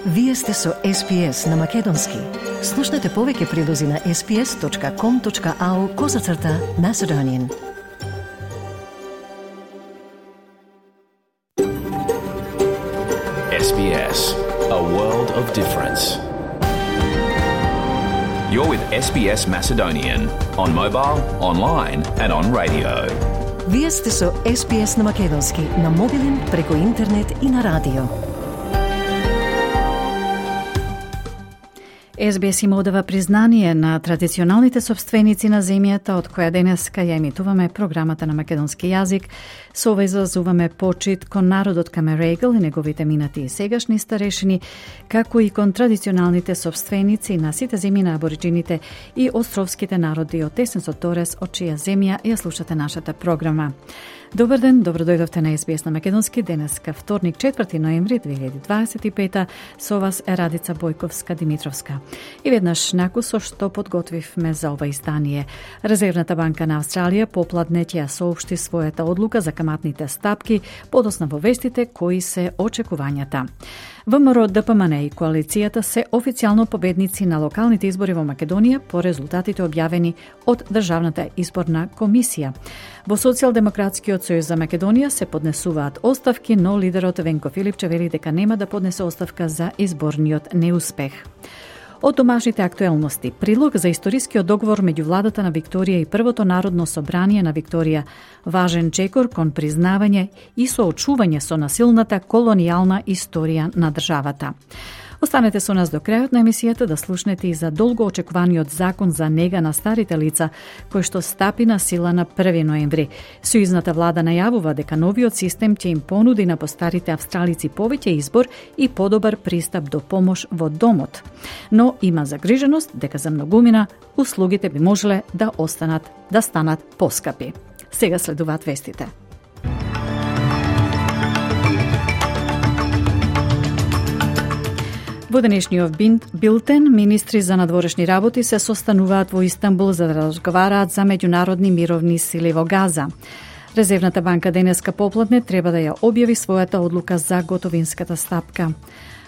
Вие сте со SPS на Македонски. Слушнете повеќе прилози на sps.com.au/Macedonian. SBS, a world of difference. You're with SBS Macedonian on mobile, online and on radio. Вие сте со SPS на Македонски на мобилен, преку интернет и на радио. SBS им одава признание на традиционалните собственици на земјата, од која денеска ја емитуваме програмата на македонски јазик. Со ова изразуваме почит кон народот Камерегл и неговите минати и сегашни старешини, како и кон традиционалните собственици на сите земји на абориджините и островските народи од Тесен Торес, од чија земја ја слушате нашата програма. Добар ден, добродојдовте на SBS на Македонски, денеска вторник 4 ноември 2025, со вас е Радица Бојковска-Димитровска. И веднаш накусо што подготвивме за ова издание. Резервната банка на Австралија попладне ќе соопшти својата одлука за каматните стапки, подосна во вестите кои се очекувањата. ВМРО, ДПМН и коалицијата се официјално победници на локалните избори во Македонија по резултатите објавени од Државната изборна комисија. Во Социјалдемократскиот сојуз за Македонија се поднесуваат оставки, но лидерот Венко Филипче вели дека нема да поднесе оставка за изборниот неуспех. Од домашните актуелности, прилог за историскиот договор меѓу владата на Викторија и Првото народно собрание на Викторија, важен чекор кон признавање и соочување со насилната колонијална историја на државата. Останете со нас до крајот на емисијата да слушнете и за долго очекуваниот закон за нега на старите лица, кој што стапи на сила на 1 ноември. Сојузната влада најавува дека новиот систем ќе им понуди на постарите австралици повеќе избор и подобар пристап до помош во домот. Но има загриженост дека за многумина услугите би можеле да станат поскапи. Сега следуваат вестите. Во денешниот билтен, министри за надворешни работи се состануваат во Истанбул за да разговараат за меѓународни мировни сили во Газа. Резервната банка денеска попладне треба да ја објави својата одлука за готовинската стапка.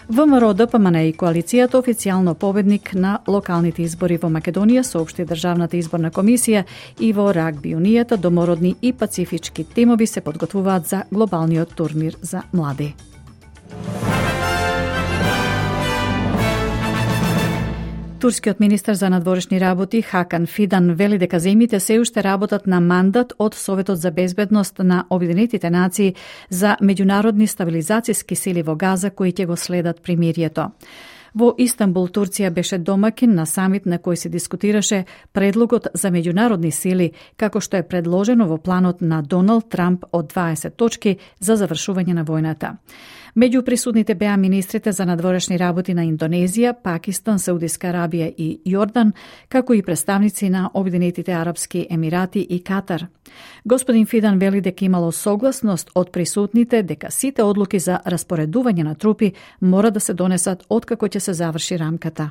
ВМРО, ДПМН и коалицијата официјално победник на локалните избори во Македонија, соопшти Државната изборна комисија, и во рагби унијата домородни и пацифички тимови се подготвуваат за глобалниот турнир за млади. Турскиот министар за надворешни работи Хакан Фидан вели дека земјите се уште работат на мандат од Советот за безбедност на Обединетите нации за меѓународни стабилизацијски сили во Газа кои ќе го следат примирието. Во Истанбул, Турција беше домакин на самит на кој се дискутираше предлогот за меѓународни сили, како што е предложено во планот на Доналд Трамп од 20 точки за завршување на војната. Меѓу присутните беа министрите за надворешни работи на Индонезија, Пакистан, Саудиска Арабија и Јордан, како и представници на Обединетите Арапски Емирати и Катар. Господин Фидан вели дека имало согласност од присутните дека сите одлуки за распоредување на трупи мора да се донесат откако ќе се заврши рамката.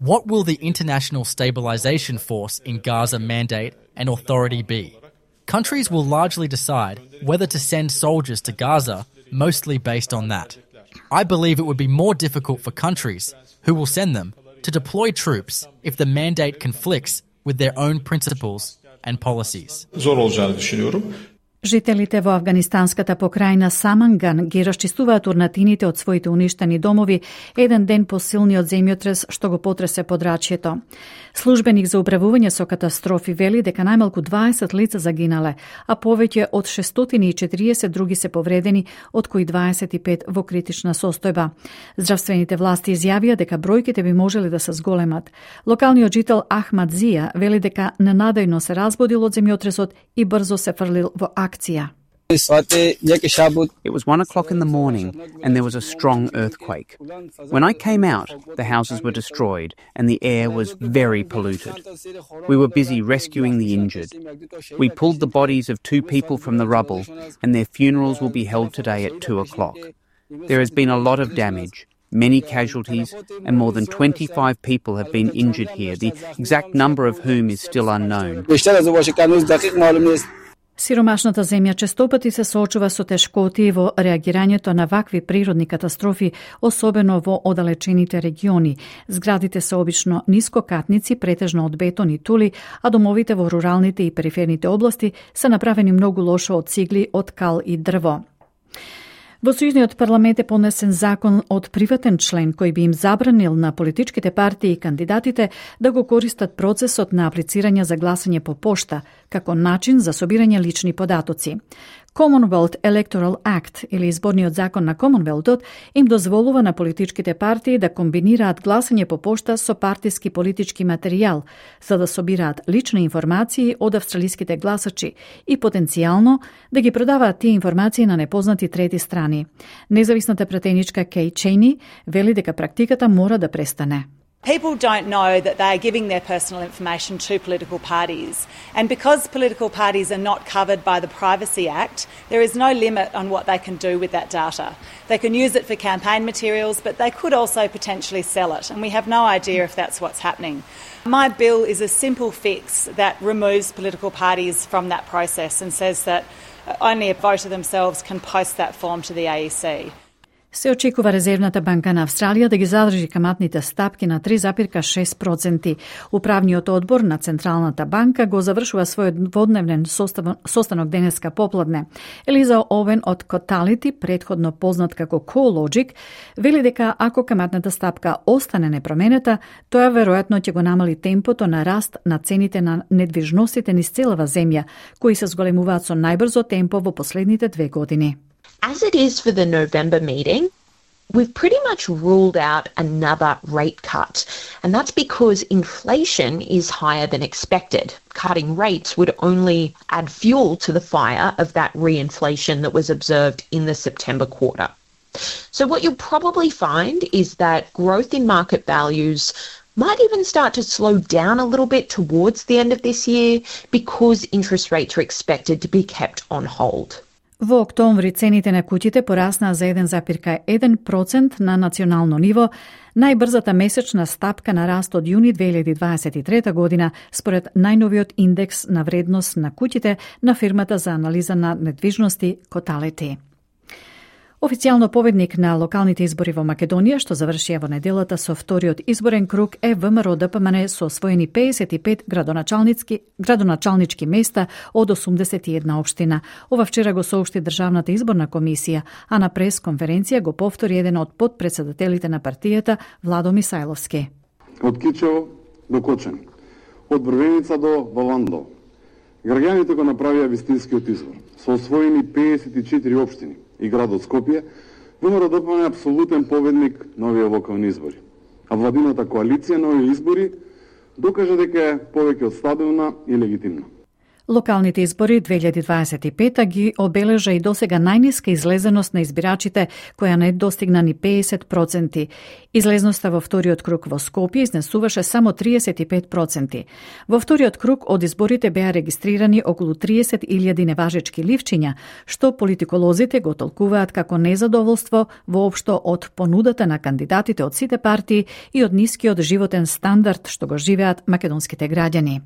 What will the International Stabilization Force in Gaza mandate and authority be? Countries will largely decide whether to send soldiers to Gaza, mostly based on that. I believe it would be more difficult for countries who will send them to deploy troops if the mandate conflicts with their own principles and policies. Жителите во афганистанската покрајна Саманган ги расчистуваат урнатините од своите уништени домови еден ден по силниот земјотрес што го потресе подрачјето. Службеник за управување со катастрофи вели дека најмалку 20 лица загинале, а повеќе од 640 други се повредени, од кои 25 во критична состојба. Здравствените власти изјавија дека бројките би можеле да се зголемат. Локалниот жител Ахмад Зија вели дека ненадејно се разбудил од земјотресот и брзо се фрлил во акција. It was 1 o'clock in the morning and there was a strong earthquake. When I came out, the houses were destroyed and the air was very polluted. We were busy rescuing the injured. We pulled the bodies of 2 people from the rubble and their funerals will be held today at 2 o'clock. There has been a lot of damage, many casualties, and more than 25 people have been injured here, the exact number of whom is still unknown. Сиромашната земја честопати се соочува со тешкоти во реагирањето на вакви природни катастрофи, особено во оддалечените региони. Зградите се обично нискокатници, претежно од бетон и тули, а домовите во руралните и периферните области се направени многу лошо од цигли, од кал и дрво. Во Сојузниот парламент е понесен закон од приватен член кој би им забранил на политичките партии и кандидатите да го користат процесот на аплицирање за гласање по пошта како начин за собирање лични податоци. Commonwealth Electoral Act, или изборниот закон на Комонвелтот, им дозволува на политичките партии да комбинираат гласање по пошта со партиски политички материјал, за да собираат лични информации од австралиските гласачи и потенцијално да ги продаваат тие информации на непознати трети страни. Независната пратеничка Кей Чейни вели дека практиката мора да престане. People don't know that they are giving their personal information to political parties. And because political parties are not covered by the Privacy Act, there is no limit on what they can do with that data. They can use it for campaign materials, but they could also potentially sell it. And we have no idea if that's what's happening. My bill is a simple fix that removes political parties from that process and says that only a voter themselves can post that form to the AEC. Се очекува Резервната банка на Австралија да ги задржи каматните стапки на 3,6%. Управниот одбор на Централната банка го завршува својот дводневен состанок денеска попладне. Елиза Овен од Cotality, предходно познат како CoreLogic, вели дека ако каматната стапка остане непроменета, тоа веројатно ќе го намали темпото на раст на цените на недвижностите низ целава земја, кои се зголемуваат со најбрзо темпо во последните 2 години. As it is for the November meeting, we've pretty much ruled out another rate cut, and that's because inflation is higher than expected. Cutting rates would only add fuel to the fire of that reinflation that was observed in the September quarter. So what you'll probably find is that growth in market values might even start to slow down a little bit towards the end of this year because interest rates are expected to be kept on hold. Во октомври цените на куќите пораснаа за 1,1% на национално ниво, најбрзата месечна стапка на раст од јуни 2023 година, според најновиот индекс на вредност на куќите на фирмата за анализа на недвижности Cotality. Официјално победник на локалните избори во Македонија, што завршија во неделата со вториот изборен круг, е ВМРО ДПМН со освоени 55 градоначалнички места од 81 општина. Ова вчера го соопшти Државната изборна комисија, а на прес-конференција го повтори еден од подпредседателите на партијата, Владо Мисајловски. Од Кичево до Кочани, од Брвеница до Валандо, граѓаните го направија вистинскиот избор со освоени 54 општини и градот Скопје, ВМРО ДПМН е апсолутен победник на овие локални избори. А владината коалиција на овие избори докажа дека е повеќе од стабилна и легитимна. Локалните избори 2025 ги обележа и досега најниска излезеност на избирачите, која не достигна ни 50%. Излезноста во вториот круг во Скопје изнесуваше само 35%. Во вториот круг од изборите беа регистрирани околу 30.000 неважечки ливчиња, што политиколозите го толкуваат како незадоволство воопшто од понудата на кандидатите од сите партии и од нискиот животен стандард што го живеат македонските граѓани.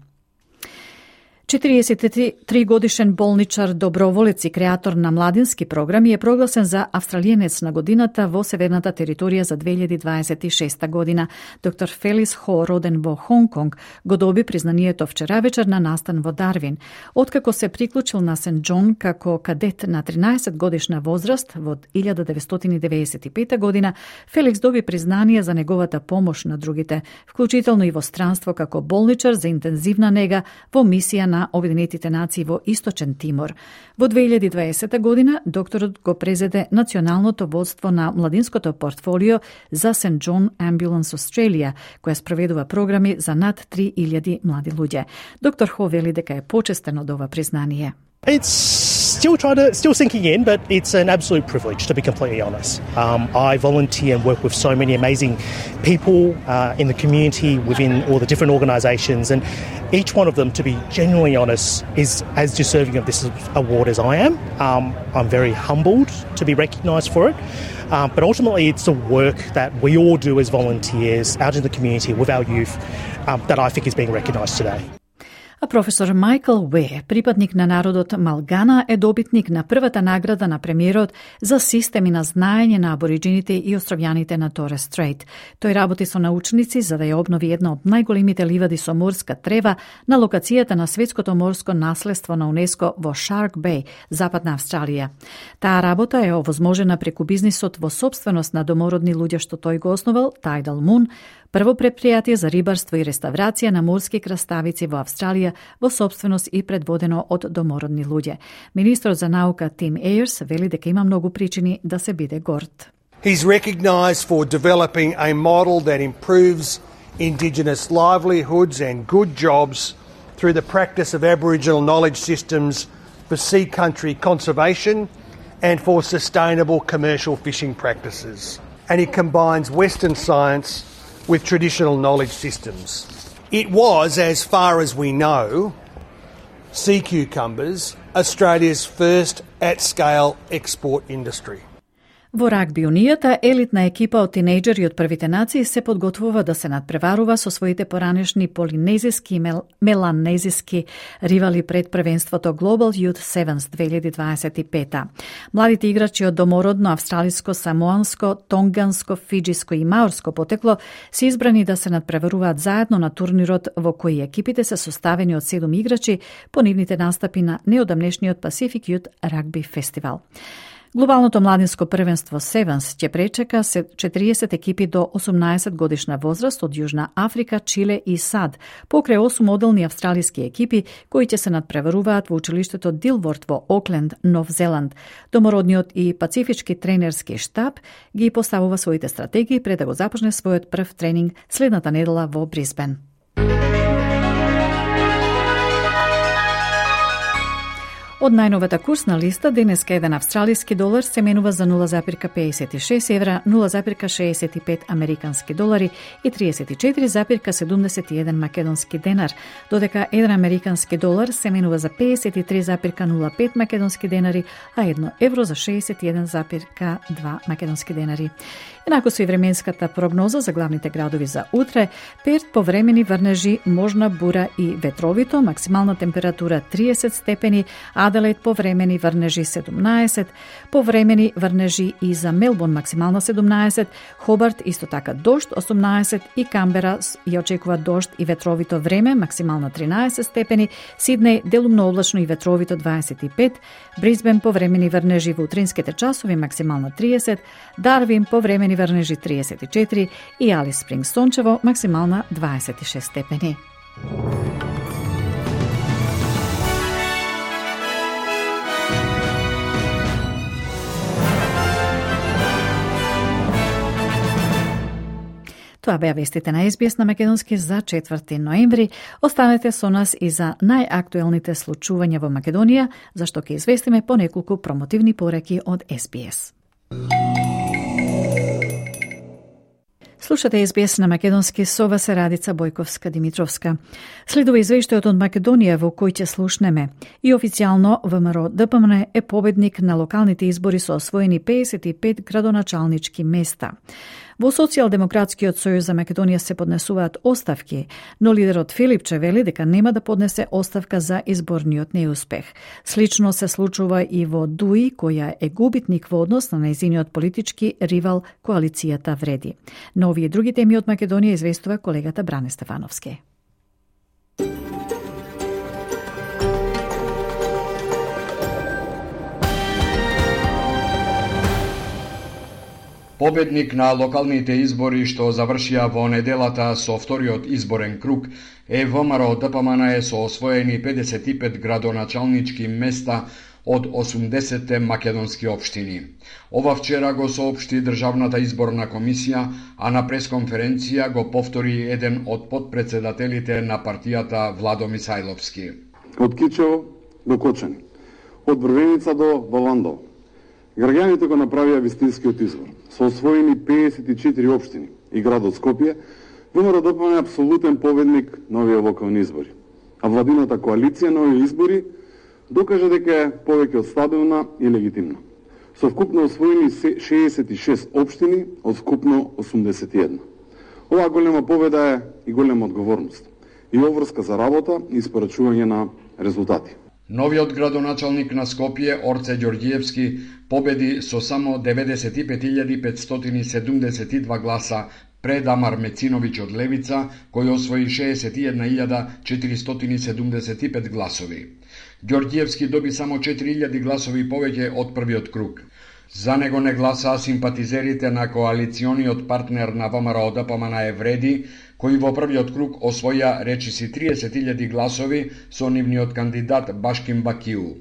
43 годишен болничар, доброволец и креатор на младински програми е прогласен за австралиенец на годината во северната територија за 2026 година. Доктор Фелис Хо, роден во Хонг-Конг, го доби признанието вчера вечер на настан во Дарвин. Откако се приклучил на Сент Џон како кадет на 13 годишна возраст во 1995 година, Феликс доби признание за неговата помош на другите, вклучително и во странство како болничар за интензивна нега во мисија на Обединетите нации во Источен Тимор. Во 2020 година докторот го презеде националното водство на младинското портфолио за Сент Џон Ambulance Australia, која спроведува програми за над 3000 млади луѓе. Доктор Хо вели дека е почестен од ова признание. It's still sinking in, but it's an absolute privilege, to be completely honest. I volunteer and work with so many amazing people in the community, within all the different organisations, and each one of them, to be genuinely honest, is as deserving of this award as I am. I'm very humbled to be recognised for it, but ultimately it's the work that we all do as volunteers out in the community with our youth that I think is being recognised today. А професор Майкл Уе, припадник на народот Малгана, е добитник на првата награда на премиерот за системи на знаење на абориджините и островјаните на Торес Стрейт. Тој работи со научници за да ја обнови една од најголемите ливади со морска трева на локацијата на светското морско наследство на УНЕСКО во Шарк Беј, Западна Австралија. Таа работа е овозможена преку бизнисот во сопственост на домородни луѓе што тој го основал, Tidal Moon, прво предпријатие за рибарство и реставрација на морски краставици во Австралија во сопственост и предводено од домородни луѓе. Министрот за наука Тим Ејерс вели дека има многу причини да се биде горд. He's recognised for developing a model that improves Indigenous livelihoods and good jobs through the practice of Aboriginal knowledge systems for sea country conservation and for sustainable commercial fishing practices. And he combines Western science with traditional knowledge systems. It was, as far as we know, sea cucumbers, Australia's first at-scale export industry. Во рагби унијата, елитна екипа од тинејџери од првите нации се подготвува да се надпреварува со своите поранешни полинезиски и меланезиски ривали пред првенството Global Youth Sevens 2025. Младите играчи од домородно, австралиско, самоанско, тонганско, фиджиско и маорско потекло се избрани да се надпреваруваат заедно на турнирот во кој екипите се составени од 7 играчи по нивните настапи на неодамнешниот Pacific Youth Rugby Festival. Глобалното младинско првенство Sevens ќе пречека 40 екипи до 18 годишна возраст од Јужна Африка, Чиле и САД, покрај 8 моделни австралиски екипи кои ќе се надпреваруваат во училиштето Дилворд во Окленд, Нов Зеланд. Домородниот и пацифички тренерски штаб ги поставува своите стратегии пред да го започне својот прв тренинг следната недела во Брисбен. Од најновата курсна листа, денеска еден австралиски долар се менува за 0,56 евра, 0,65 американски долари и 34,71 македонски денар, додека еден американски долар се менува за 53,05 македонски денари, а 1 евро за 61,2 македонски денари. Енако со и временската прогноза за главните градови за утре, Перт повремени врнежи, можна бура и ветровито, максимална температура 30 степени, Аделаид повремени врнежи 17, повремени врнежи и за Мелбурн максимална 17, Хобарт исто така дожд 18 и Камбера ја очекува дожд и ветровито време, максимална 13 степени, Сиднеј делумно облачно и ветровито 25, Брисбен повремени врнежи во утринските часови максимална 30, Дарвин повремени врнежи 34 и Алис Спрингс сончево максимална 26 степени. Тоа беа вестите на SBS на македонски за 4 ноември. Останете со нас и за најактуелните случувања во Македонија, зашто ќе известиме по неколку промотивни пореки од SBS. Слушате SBS на македонски, со вас е Радица Бојковска-Димитровска. Следува извештајот од Македонија во кој ќе слушнеме. И официјално ВМРО ДПМН е победник на локалните избори со освоени 55 градоначалнички места. Во Социјалдемократскиот сојуз за Македонија се поднесуваат оставки, но лидерот Филипче вели дека нема да поднесе оставка за изборниот неуспех. Слично се случува и во ДУИ, која е губитник во однос на нејзиниот политички ривал коалицијата Вреди. Но овие други теми од Македонија известува колегата Бране Стефановски. Победник на локалните избори што завршија во неделата со вториот изборен круг е ВМРО ДПМН со освоени 55 градоначалнички места од 80 македонски општини. Ова вчера го соопшти Државната изборна комисија, а на пресконференција го повтори еден од подпредседателите на партијата Владо Мисајловски. Од Кичево до Кочани, од Врвеница до Баландово, граѓаните го направија вистинскиот избор. Со освоени 54 општини и градот Скопје, ВМРО ДПМН е апсолутен победник на овие локални избори. А владината коалиција на овие избори докажа дека е повеќе од стабилна и легитимна. Со вкупно освоени 66 општини од вкупно 81. Оваа голема победа е и голема одговорност. и обврска за работа и испорачување на резултати. Новиот градоначалник на Скопје, Орце Ѓорѓиевски, победи со само 95.572 гласа пред Амар Мециновиќ од Левица, кој освои 61.475 гласови. Ѓорѓиевски доби само 4.000 гласови повеќе од првиот круг. За него не гласаа симпатизерите на коалициониот партнер на ВМРО ДПМН Евреди, кои во првиот круг освоја речиси 30.000 гласови со нивниот кандидат Башким Бакиу.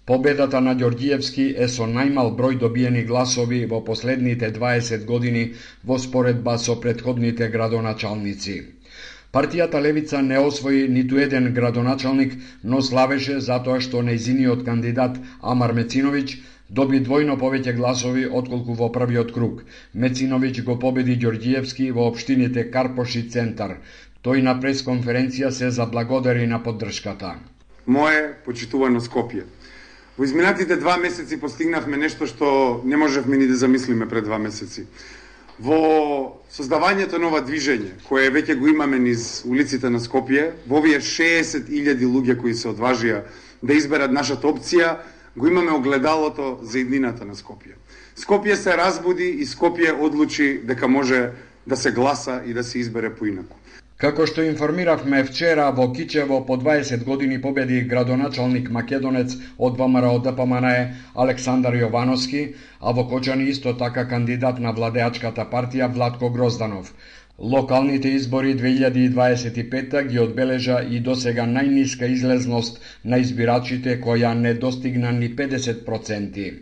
Победата на Ѓорѓиевски е со најмал број добиени гласови во последните 20 години во споредба со претходните градоначалници. Партијата Левица не освои ниту еден градоначалник, но славеше затоа што нејзиниот кандидат Амар Мециновиќ доби двојно повеќе гласови отколку во првиот круг. Мециновиќ го победи Ѓорѓиевски во општините Карпош и Центар. Тој на пресконференција се заблагодари на поддршката. Мое почитувано Скопје. Во изминатите 2 месеци постигнавме нешто што не можевме ни да замислиме пред 2 месеци. Во создавањето на ова движење, кое веќе го имаме низ улиците на Скопје, во овие 60.000 луѓе кои се одважија да изберат нашата опција, го имаме огледалото за иднината на Скопје. Скопје се разбуди и Скопје одлучи дека може да се гласа и да се избере поинаку. Како што информиравме вчера, во Кичево по 20 години победи градоначалник македонец од ВМРО ДПМН Александар Јовановски, а во Кочани исто така кандидат на владеачката партија Владко Грозданов. Локалните избори 2025 ги одбележа и досега најниска излезност на избирачите, која не достигна ни 50%.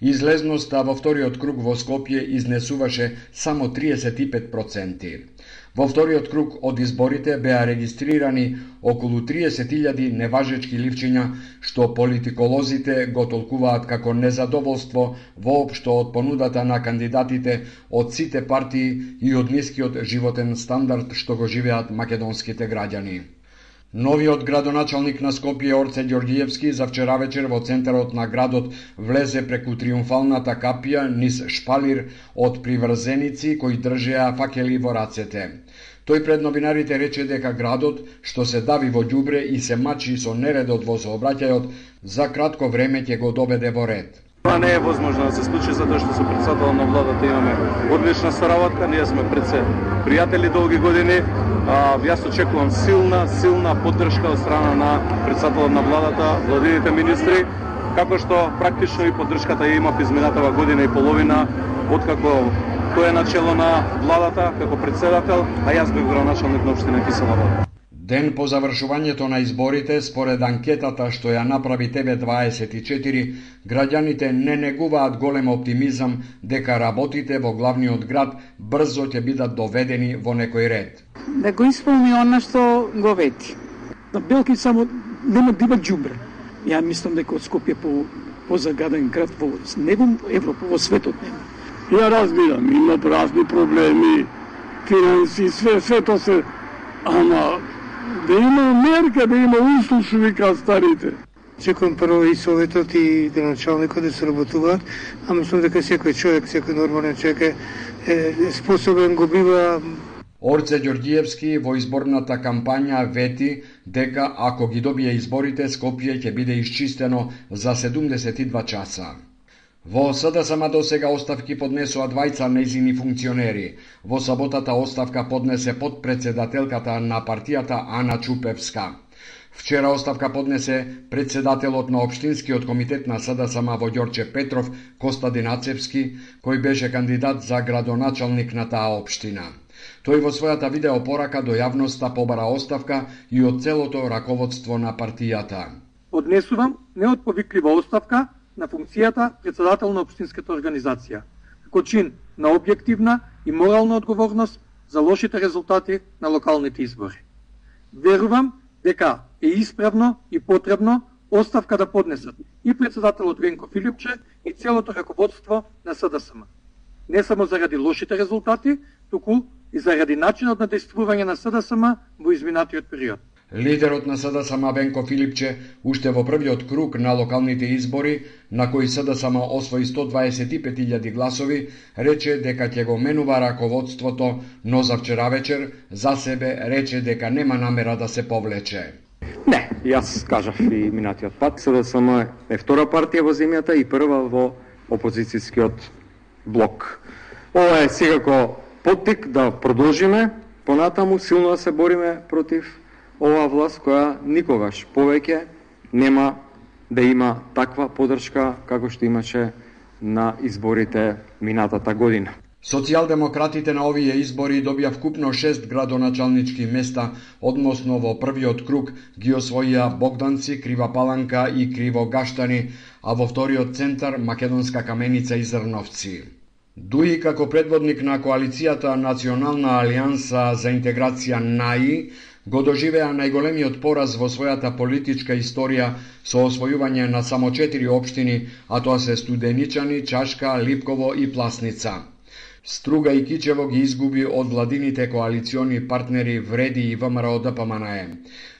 Излезноста во вториот круг во Скопје изнесуваше само 35%. Во вториот круг од изборите беа регистрирани околу 30.000 неважечки ливчиња, што политиколозите го толкуваат како незадоволство воопшто од понудата на кандидатите од сите партии и од нискиот животен стандард што го живеат македонските граѓани. Новиот градоначалник на Скопје Орце Ѓорѓиевски за вчера вечер во центарот на градот влезе преку триумфалната капија низ шпалир од приврзеници кои држеа факели во рацете. Тој пред новинарите рече дека градот, што се дави во ѓубре и се мачи со нередот во сообраќајот, за кратко време ќе го доведе во ред. Това не е возможно да се случи затоа што со претседателот на владата имаме одлична соработка, ние сме пријатели долги години. Јас очекувам силна поддршка од страна на претседателот на владата, владините министри, како што практично и поддршката ја има изминатава година и половина, откако тој е начело на владата како претседател, а јас бев градоначалник на општина Кисела Вода. Ден по завршувањето на изборите, според анкетата што ја направи TV24, граѓаните не негуваат голем оптимизам дека работите во главниот град брзо ќе бидат доведени во некој ред. Да го исполни она што го вети. Да Белки само нема да има ѓубре. Ја мислам дека од Скопје по загаден град во не во Европа, во светот нема. Ја разбирам, има разни проблеми, финанси, све тоа се, ама да има мерка, да има услуг, што вика старите. Чекам прво и советот и градоначалникот да се работуваат, а мислам дека секој човек, секој нормален човек е способен, го бива. Орце Ѓорѓиевски во изборната кампања вети дека ако ги добие изборите, Скопје ќе биде исчистено за 72 часа. Во СДСМ досега оставки поднесоа двајца нејзини функционери. Во саботата оставка поднесе подпредседателката на партијата Ана Чупевска. Вчера оставка поднесе председателот на Општинскиот комитет на СДСМ во Ѓорче Петров, Костадин Ацевски, кој беше кандидат за градоначалник на таа општина. Тој во својата видеопорака до јавноста побара оставка и од целото раководство на партијата. Поднесувам неотповиклива оставка на функцијата председател на општинската организација, како чин на објективна и морална одговорност за лошите резултати на локалните избори. Верувам дека е исправно и потребно оставка да поднесат и председателот Венко Филипче и целото раководство на СДСМ. Не само заради лошите резултати, туку и заради начинот на действување на СДСМ во изминатиот период. Лидерот на СДСМ Венко Филипче уште во првиот круг на локалните избори, на кои СДСМ освои 125.000 гласови, рече дека ќе го менува раководството, но за вчера вечер за себе рече дека нема намера да се повлече. Не, јас кажав и минатиот пат, СДСМ е втора партија во земјата и прва во опозицијскиот блок. Ова е секако поттик да продолжиме понатаму силно да се бориме против оваа власт која никогаш повеќе нема да има таква поддршка како што имаше на изборите минатата година. Социјалдемократите на овие избори добија вкупно 6 градоначалнички места, односно во првиот круг ги освоија Богданци, Крива Паланка и Кривогаштани, а во вториот центар Македонска Каменица и Зрновци. Дуи како предводник на коалицијата Национална алијанса за интеграција НАИ го доживеа најголемиот пораз во својата политичка историја со освојување на само 4 општини, а тоа се Студеничани, Чашка, Липково и Пласница. Струга и Кичево ги изгуби од владините коалициони партнери Вреди и ВМРО ДПМНЕ.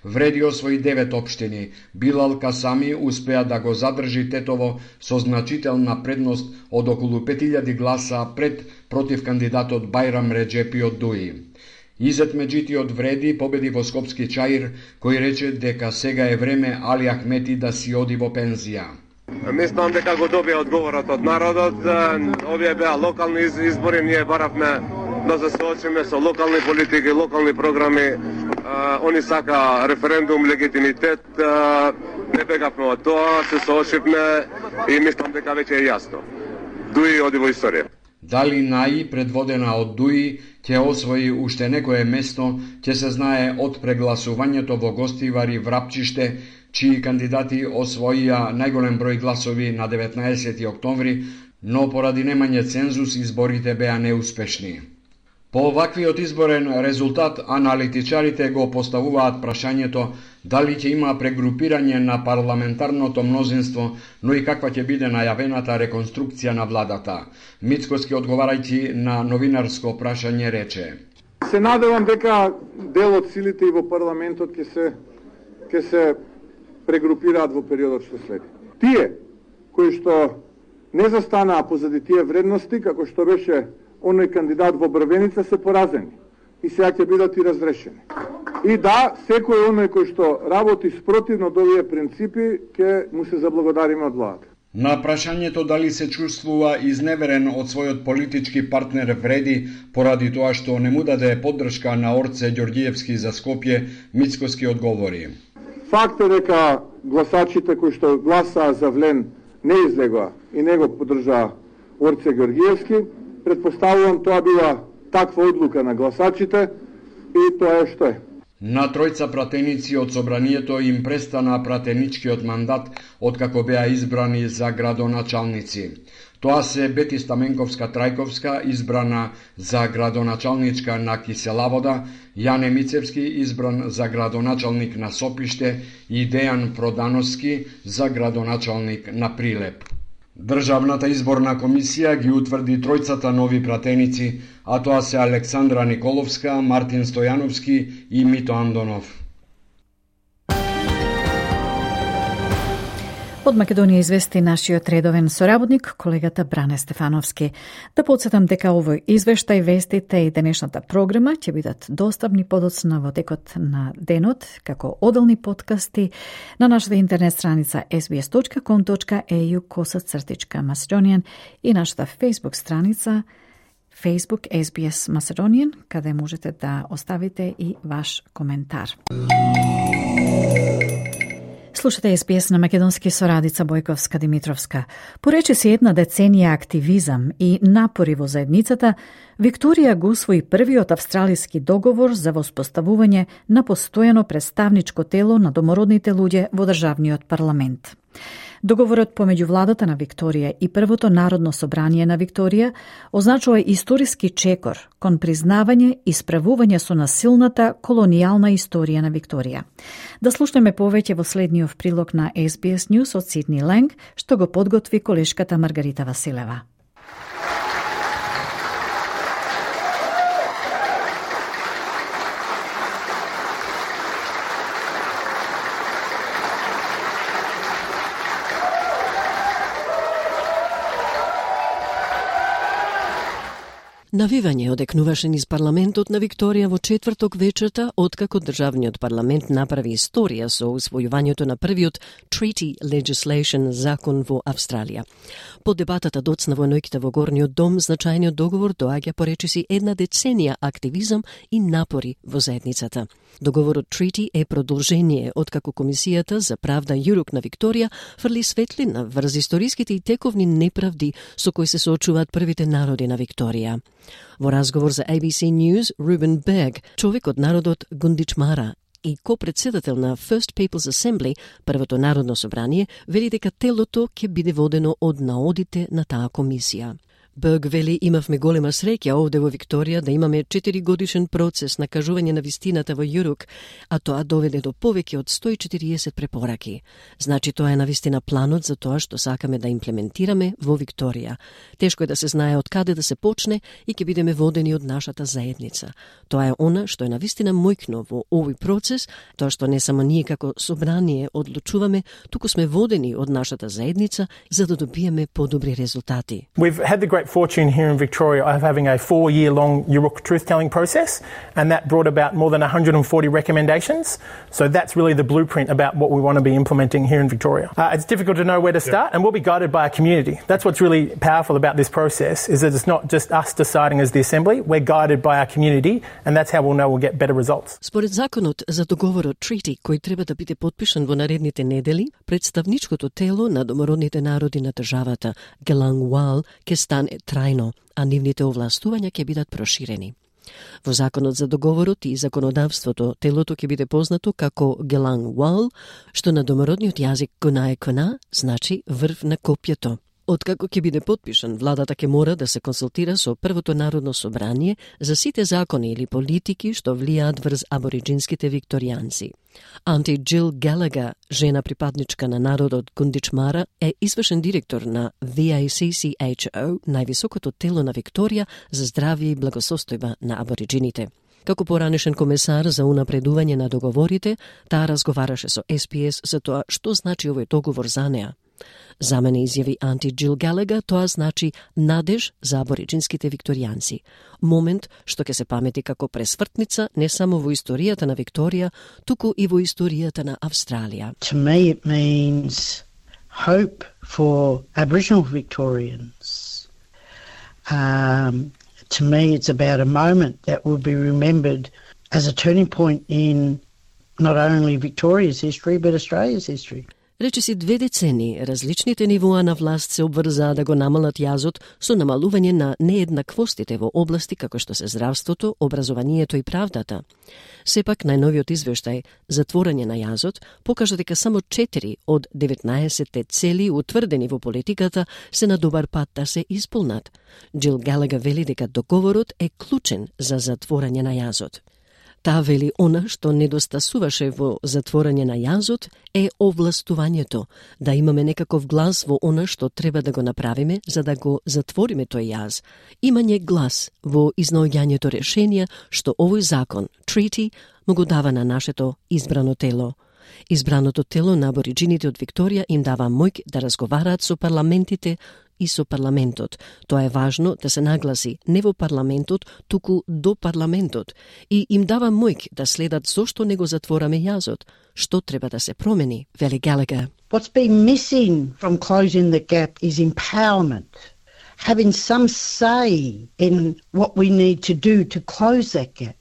Вреди освои 9 општини. Билал Касами успеа да го задржи Тетово со значителна предност од околу 5000 гласа пред против кандидатот Бајрам Реджепи од Дуи. Изет Меджити од Вреди победи во Скопски Чаир, кој рече дека сега е време Али Ахмети да си оди во пензија. Мислам дека го добија одговорот од народот. Овие беа локални избори, ние баравме да се соочиме со локални политики, локални програми. Они сака референдум, легитимитет. Не бегавме од тоа, се соочивме и мислам дека веќе е јасно. Дуи оди во историја. Дали НАИ, предводена од Дуи, ќе освои уште некое место, ќе се знае од прегласувањето во Гостивар и Врапчиште, чии кандидати освоија најголем број гласови на 19 октомври, но поради немање цензус изборите беа неуспешни. По оваквиот изборен резултат, аналитичарите го поставуваат прашањето дали ќе има прегрупирање на парламентарното мнозинство, но и каква ќе биде најавената реконструкција на владата. Мицкоски, одговарајќи на новинарско прашање, рече: Се надевам дека дел од силите и во парламентот ќе се прегрупираат во периодот што следи. Тие кои што не застанаа позади тие вредности, како што беше оној кандидат во Брвеница, се поразени и сега ќе бидат и разрешени. И да, секој оној кој што работи спротивно од овие принципи, ќе му се заблагодариме од владата. На прашањето дали се чувствува изневерен од својот политички партнер Вреди поради тоа што не му даде поддршка на Орце Ѓорѓиевски за Скопје, Мицкоски одговори: Факт е дека гласачите кои што гласаа за Влен не излегоа и не го поддржаа Орце Ѓорѓиевски. Предпоставувам тоа била таква одлука на гласачите и тоа е што е. На тројца пратеници од собранието им престана пратеничкиот мандат откако беа избрани за градоначалници. Тоа се Бети Стаменковска-Трајковска, избрана за градоначалничка на Киселавода, Јане Мицевски, избран за градоначалник на Сопиште и Дејан Продановски за градоначалник на Прилеп. Државната изборна комисија ги утврди тројцата нови пратеници, а тоа се Александра Николовска, Мартин Стојановски и Мито Андонов. Од Македонија извести нашиот редовен соработник, колегата Бране Стефановски. Да подсетам дека овој извештај, вестите и денешната програма ќе бидат достапни подоцна во текот на денот, како одделни подкасти на нашата интернет страница sbs.com.au/Macedonian и нашата Facebook страница Facebook SBS Macedonian, каде можете да оставите и ваш коментар. Слушате SBS на македонски со Радица Бојковска-Димитровска. Поречиси една деценија активизам и напори во заедницата, Викторија го усвои првиот австралиски договор за воспоставување на постојано представничко тело на домородните луѓе во државниот парламент. Договорот помеѓу владата на Викторија и Првото народно собрание на Викторија означува историски чекор кон признавање и справување со насилната колонијална историја на Викторија. Да слушнеме повеќе во следниот прилог на SBS News од Сидни Ленг, што го подготви колешката Маргарита Василева. Навивање одекнуваше низ парламентот на Викторија во четврток вечерта, откако државниот парламент направи историја со усвојувањето на првиот treaty legislation закон во Австралија. По дебатата доцна во ноќта во Горниот дом, значајниот договор доаѓа по речиси една деценија активизам и напори во заедницата. Договорот Treaty е продолжение откако Комисијата за правда Јурук на Викторија фрли светлина врз историските и тековни неправди со кои се соочуваат првите народи на Викторија. Во разговор за ABC News, Ruben Berg, човек од народот Гундичмара и ко-председател на First People's Assembly, првото народно собрание, вели дека телото ќе биде водено од наодите на таа комисија. Берг вели, имавме голема среќа овде во Викторија да имаме 4-годишен процес на кажување на вистината во Јурук, а тоа доведе до повеќе од 140 препораки. Значи тоа е навистина планот за тоа што сакаме да имплементираме во Викторија. Тешко е да се знае од каде да се почне и ќе бидеме водени од нашата заедница. Тоа е она што е навистина мојкно во овој процес, тоа што не само ние како собрание одлучуваме, туку сме водени од нашата заедница за да добиеме подобри резултати. We've had the great fortune here in Victoria of having a 4-year-long Yurok truth-telling process, and that brought about more than 140 recommendations. So that's really the blueprint about what we want to be implementing here in Victoria. It's difficult to know where to start, and we'll be guided by a community. That's what's really powerful about this process, is that it's not just us deciding as the Assembly, we're guided by our community, and that's how we'll know we'll get better results. Според законот за договорот Treaty, кој треба да биде подпишан во наредните недели, представничкото тело на домородните народи на државата, Gelang Wal, ќе стане трајно, а нивните овластувања ќе бидат проширени. Во законот за договорот и законодавството, телото ќе биде познато како Gelang Wal, што на домородниот јазик Кунаe Kuna значи врв на копјето. Откако ќе биде подпишан, владата ќе мора да се консултира со првото народно собрание за сите закони или политики што влијаат врз абориджинските викторијанци. Анти Джил Галага, жена припадничка на народот Гундичмара, е извршен директор на VACCHO, највисокото тело на Викторија за здравје и благосостојба на абориджините. Како поранешен комесар за унапредување на договорите, таа разговараше со SPS за тоа што значи овој договор за неа. За мене, изјави Анти Джил Галага, тоа значи надеж за абориджинските викторијанци. Момент што ќе се памети како пресвртница не само во историјата на Викторија, туку и во историјата на Австралија. To me it means hope for Aboriginal Victorians. To me it's about a moment that will be remembered as a turning point in not only Victoria's history but Australia's history. Речиси 2 децени, различните нивоа на власт се обврзаа да го намалат јазот со намалување на нееднаквостите во области како што се здравството, образованието и правдата. Сепак, најновиот извештај Затворање на јазот покажа дека само 4 од 19 цели утврдени во политиката се на добар пат да се исполнат. Джил Галага вели дека договорот е клучен за затворање на јазот. Таа вели она што недостасуваше во затворање на јазот е овластувањето, да имаме некаков глас во она што треба да го направиме за да го затвориме тој јаз. Имање глас во изнаоѓањето решенија што овој закон, Treaty, му го дава на нашето избрано тело. Избраното тело на абориджините од Викторија им дава моќ да разговараат со парламентите и со парламентот. Тоа е важно да се нагласи не во парламентот, туку до парламентот. И им дава моќ да следат зошто не го затвораме јазот, што треба да се промени, вели Галага. What's been missing from closing the gap is empowerment. Having some say in what we need to do to close that gap.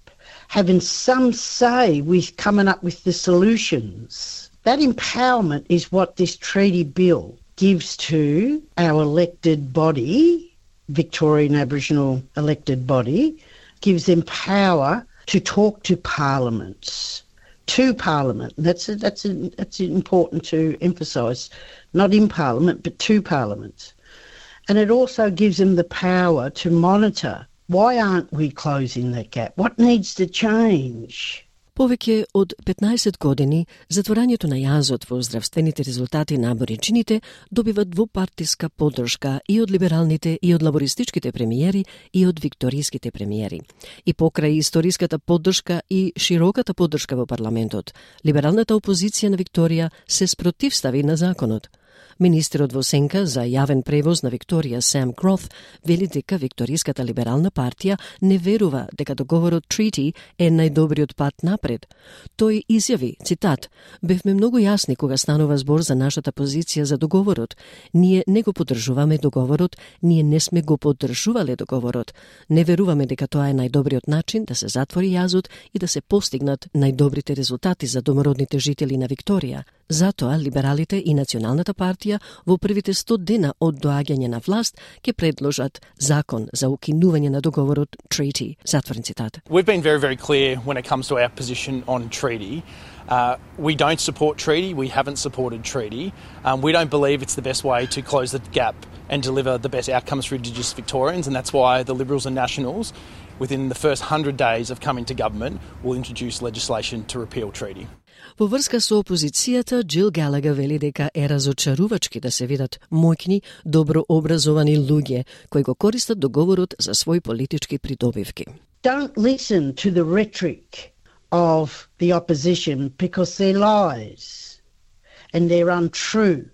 Having some say with coming up with the solutions. That empowerment is what this treaty bill gives to our elected body, Victorian Aboriginal elected body, gives them power to talk to parliaments. To Parliament. That's important to emphasise. Not in Parliament, but to Parliament. And it also gives them the power to monitor. Why aren't we closing that gap? What needs to change? Повеќе од 15 години, затворањето на јазот во здравствените резултати на абориджините добива двупартиска поддршка и од либералните, и од лабористичките премиери, и од викториските премиери. И покрај историската поддршка и широката поддршка во парламентот, либералната опозиција на Викторија се спротивстави на законот. Министерот во сенка за јавен превоз на Викторија Сам Грот вели дека Викториската либерална партија не верува дека договорот Treaty е најдобриот пат напред. Тој изјави, цитат: "Бевме многу јасни кога станува збор за нашата позиција за договорот. Ние не го поддржуваме договорот, ние не сме го поддржувале договорот. Не веруваме дека тоа е најдобриот начин да се затвори јазот и да се постигнат најдобрите резултати за домородните жители на Викторија. Затоа либералите и Националната партија во првите 100 дена од доаѓање на власт ќе предложат закон за укинување на договорот Treaty." Затворен цитат. We've been very, very clear when it comes to our position on Treaty. We don't support Treaty. We haven't supported Treaty. We don't believe it's the best way to close the gap and deliver the best outcomes for Indigenous Victorians, and that's why the Liberals and Nationals, within the first 100 days of coming to government, will introduce legislation to repeal Treaty. Во врска со опозицијата, Джил Галагер вели дека е разочарувачки да се видат моќни, добро образовани луѓе кои го користат договорот за своји политички придобивки. Don't listen to the rhetoric of the opposition because they're lies and they're untrue.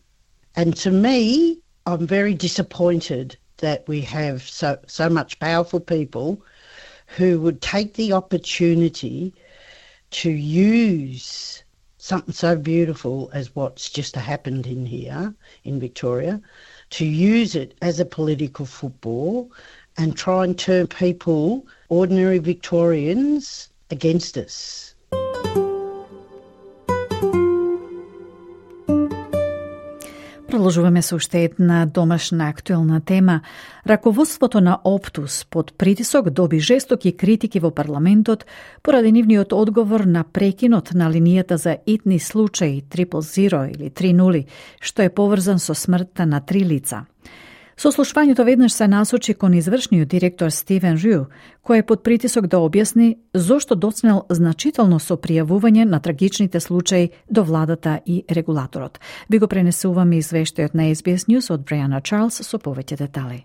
And to me, I'm very disappointed that we have so much powerful people who would take the opportunity to use something so beautiful as what's just happened in here in Victoria, to use it as a political football and try and turn people, ordinary Victorians, against us. Продолжуваме со уште една домашна актуелна тема. Раководството на Оптус под притисок доби жестоки критики во парламентот поради нивниот одговор на прекинот на линијата за итни случаи 000 или 30, што е поврзан со смртта на 3 лица. Сослушвањето веднаш се насочи кон извршниот директор Стивен Рю, кој е под притисок да објасни зошто доцнел значително со пријавување на трагичните случаи до владата и регулаторот. Би го пренесуваме извештајот на SBS News од Брејана Чарлс со повеќе детали.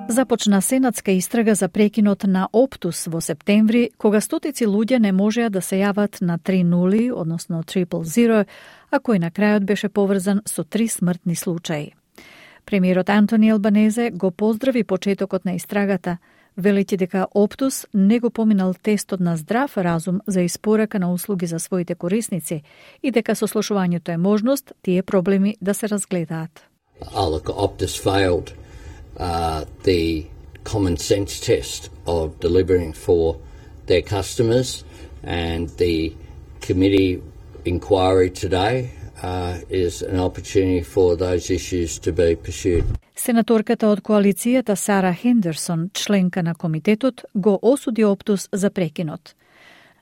Започна сенатска истрага за прекинот на Оптус во септември, кога стотици луѓе не можеа да се јават на 3-0, односно 000, а кој на крајот беше поврзан со 3 смртни случаи. Премиерот Антони Албанезе го поздрави почетокот на истрагата, велејќи дека Оптус не го поминал тестот на здрав разум за испорака на услуги за своите корисници и дека сослушувањето е можност тие проблеми да се разгледаат. Optus failed the common sense test of delivering for their customers, and the committee inquiry today is an opportunity for those issues to be pursued. Сенаторката од коалицијата Сара Хендерсон, членка на комитетот, го осуди Оптус за прекинот.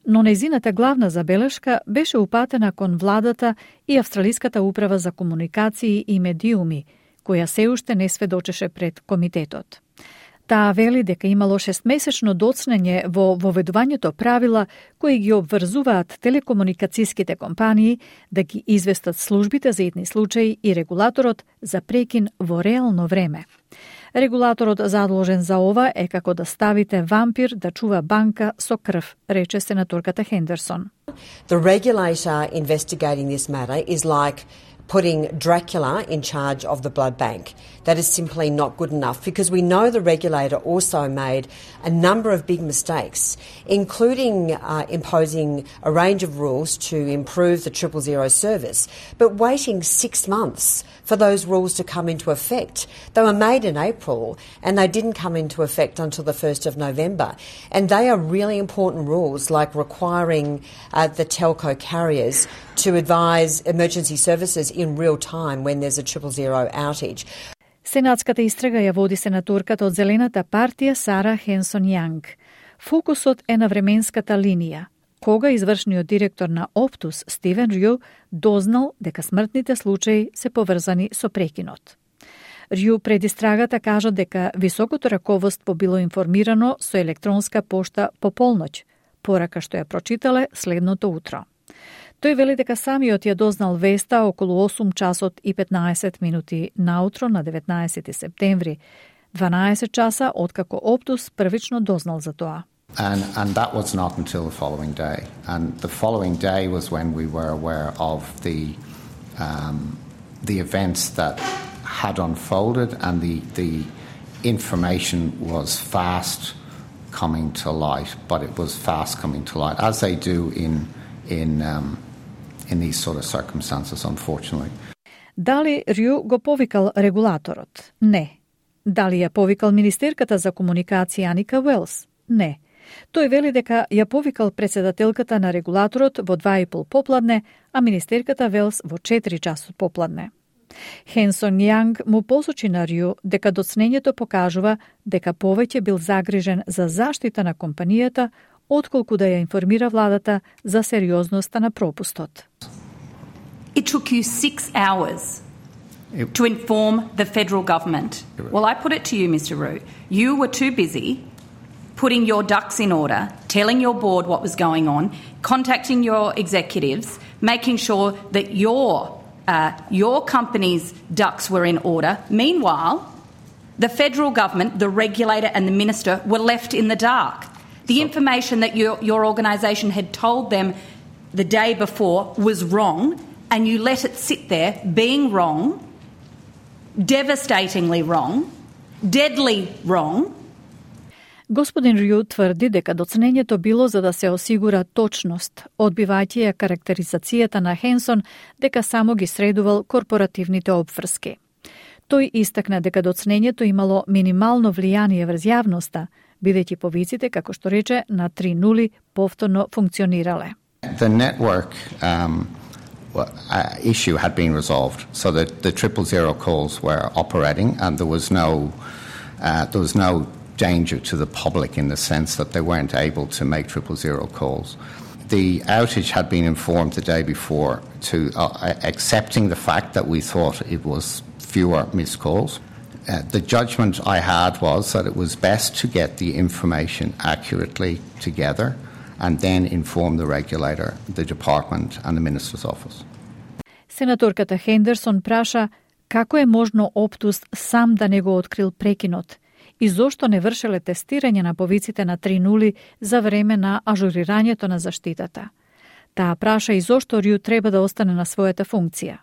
Но нејзината главна забелешка беше упатена кон владата и Австралиската управа за комуникации и медиуми, која се уште не сведочеше пред комитетот. Таа вели дека имало 6-месечно доцнење во воведувањето правила кои ги обврзуваат телекомуникацијските компании да ги известат службите за итни случаи и регулаторот за прекин во реално време. Регулаторот задолжен за ова е како да ставите вампир да чува банка со крв, рече сенаторката Хендерсон. The regulator investigating this matter is like putting Dracula in charge of the blood bank. That is simply not good enough, because we know the regulator also made a number of big mistakes, including imposing a range of rules to improve the 000 service, but waiting 6 months for those rules to come into effect. They were made in April and they didn't come into effect until the 1st of November. And they are really important rules, like requiring the telco carriers to advise emergency services in real time when there's a 000 outage. Сенатската истрага ја води сенаторката од Зелената партија Сара Хенсон Јанг. Фокусот е на временската линија, кога извршниот директор на Оптус Стивен Рю дознал дека смртните случаи се поврзани со прекинот. Рю пред истрагата кажа дека високото раководство било информирано со електронска пошта по полноќ, порака што ја прочитале следното утро. Тој вели дека самиот ја дознал веста околу 8 часот и 15 минути наутро на 19 септември, 12 часа откако Оптус првично дознал за тоа. And that was not until the following day. And the following day was when we were aware of the events that had unfolded, and the information was fast coming to light, but it was fast coming to light, as they do in these sort of circumstances, unfortunately. Дали Рю го повикал регулаторот? Не. Дали ја повикал министерката за комуникација Аника Уелс? Не. Тој вели дека ја повикал председателката на регулаторот во 2:30 попладне, а министерката Велс во 4 часот попладне. Хенсон Јанг му посочи на Рю дека доцнењето покажува дека повеќе бил загрижен за заштита на компанијата, отколку да ја информира владата за сериозноста на пропустот. It took you 6 hours to inform the federal government. Well, I put it to you, Mr. Roux. You were too busy putting your ducks in order, telling your board what was going on, contacting your executives, making sure that your company's ducks were in order. Meanwhile, the federal government, the regulator and the minister were left in the dark. The information that your organisation had told them the day before was wrong, and you let it sit there being wrong, devastatingly wrong, deadly wrong. Господин Рю тврди дека доцнењето било за да се осигура точност, одбивајќи ја карактеризацијата на Хенсон дека само ги средувал корпоративните обврски. Тој истакна дека доцнењето имало минимално влијание врз јавноста, бидејќи повиците, како што рече, на 3:0 повторно функционирале. The network issue had been resolved, so that the 000 calls were operating, and there was no danger to the public in the sense that they weren't able to make 000 calls. The outage had been informed the day before to accepting the fact that we thought it was fewer missed calls. The judgment I had was that it was best to get the information accurately together and then inform the regulator, the department and the minister's office. Сенаторката Хендерсон праша како е можно Оптус сам да не го открил прекинот и зошто не вршеле тестирање на повиците на 3:0 за време на ажурирањето на заштитата. Таа праша и зошто Рю треба да остане на својата функција.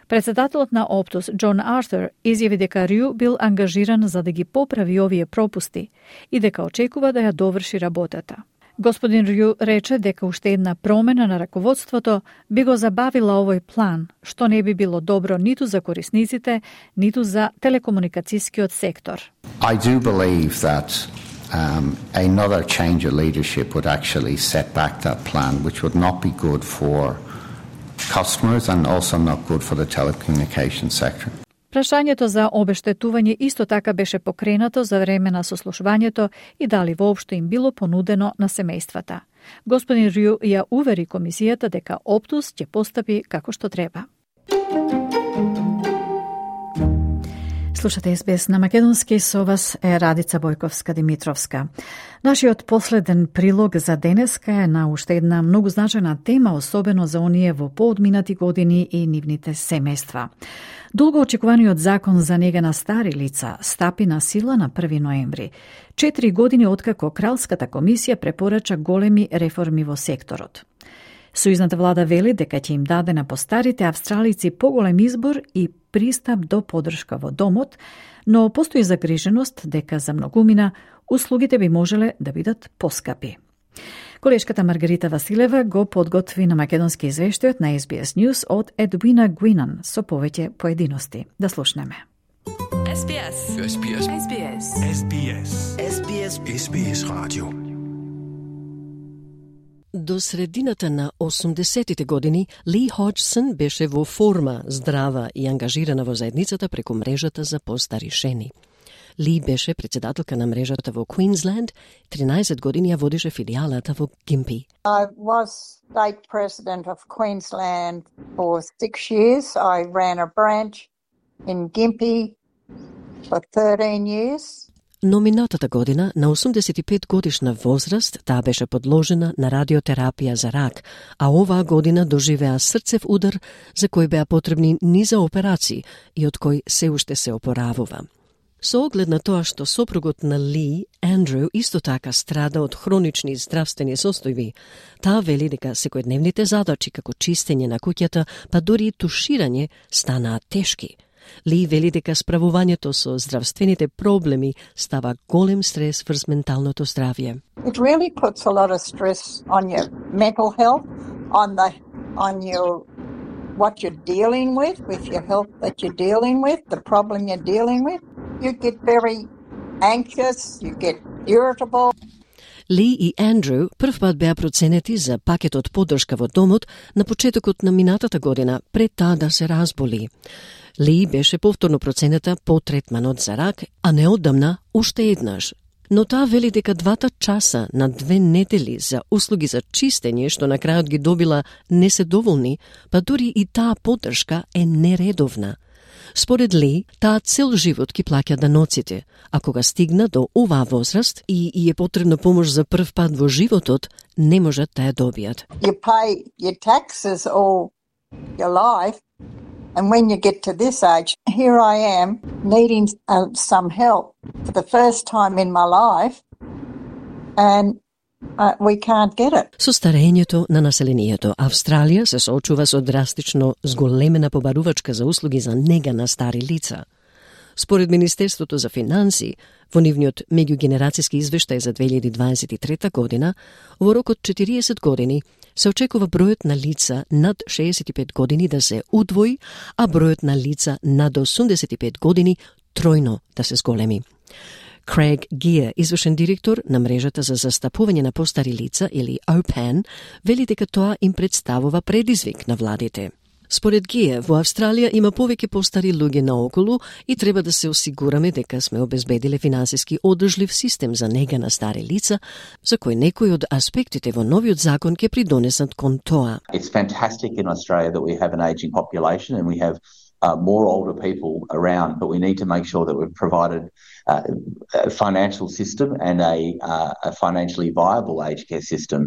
Председателот на Оптус, Џон Артур, изјави дека Рю бил ангажиран за да ги поправи овие пропусти и дека очекува да ја доврши работата. Господин Рю рече дека уште една промена на раководството би го забавила овој план, што не би било добро ниту за корисниците, ниту за телекомуникацијскиот сектор. I do believe that another change of leadership would actually set back that plan, which would not be good for customers and also not good for the telecommunication sector. Прашањето за обештетување исто така беше покренато за време на сослушувањето и дали воопшто им било понудено на семејствата. Господин Рю ја увери комисијата дека Оптус ќе постапи како што треба. Слушате СБС на македонски, со вас е Радица Бојковска-Димитровска. Нашиот последен прилог за денеска е на уште една многу значајна тема, особено за оние во поодминати години и нивните семејства. Долго очекуваниот закон за нега на стари лица стапи на сила на 1 ноември, 4 години откако Кралската комисија препорача големи реформи во секторот. Сојузната влада вели дека ќе им даде на постарите австралици поголем избор и пристап до поддршка во домот, но постои загриженост дека за многумина услугите би можеле да бидат поскапи. Колешката Маргарита Василева го подготви на македонски извештајот на SBS News од Едвина Гуинан со повеќе поединости. Да слушнеме. SBS. SBS. SBS. SBS. SBS. SBS Radio. До средината на 80-тите години Ли Ходжсон беше во форма, здрава и ангажирана во заедницата преку мрежата за постари жени. Ли беше председателка на мрежата во Queensland, 13 години ја водеше филијалата во Gympie. I was state president of Queensland for 6 years. I ran a branch in Gympie for 13 years. Но минатата година, на 85 годишна возраст, таа беше подложена на радиотерапија за рак, а оваа година доживеа срцев удар за кој беа потребни низа операции и од кој се уште се опоравува. Со оглед на тоа што сопругот на Ли, Андрю, исто така страда од хронични здравствени состојби, таа вели дека секојдневните задачи како чистење на куќата, па дури и туширање станаат тешки. Ли вели дека справувањето со здравствените проблеми става голем стрес врз менталното здравје. It really puts a lot of stress on your mental health, on your what you're dealing with your health that you're dealing with, the problem you're dealing with. You get very anxious, you get irritable. Ли и Андрю прв пат беа проценети за пакетот поддршка во домот на почетокот на минатата година, пред таа да се разболи. Ли беше повторно проценета по третманот за рак, а неодамна уште еднаш. Но таа вели дека 2 часа на 2 недели за услуги за чистење што на крајот ги добила не се доволни, па дури и таа поддршка е нередовна. Според Ли, таа цел живот ги плаќа даноците, а кога стигна до оваа возраст и е потребна помош за прв пат во животот, не можат да ја добијат. You pay your taxes all your life, and when you get to this age, here I am needing some help for the first time in my life, and we can't get it. Со старењето на населението, Австралија се соочува со драстично зголемена побарувачка за услуги за нега на стари лица. Според Министерството за финанси, во нивниот меѓугенерацијски извештај за 2023 година, во рок од 40 години се очекува бројот на лица над 65 години да се удвои, а бројот на лица над 85 години тројно да се зголеми. Крейг Гиер, извршен директор на мрежата за застапување на постари лица или OPAN, вели дека тоа им представува предизвик на владите. Според Гиер, во Австралија има повеќе постари луѓе наоколу и треба да се осигураме дека сме обезбедиле финансиски одржлив систем за нега на стари лица, за кој некои од аспектите во новиот закон ќе придонесат кон тоа. It's fantastic in Australia that we have an aging population and we have more older people around, but we need to make sure that we've provided a financial system and a financially viable aged care system,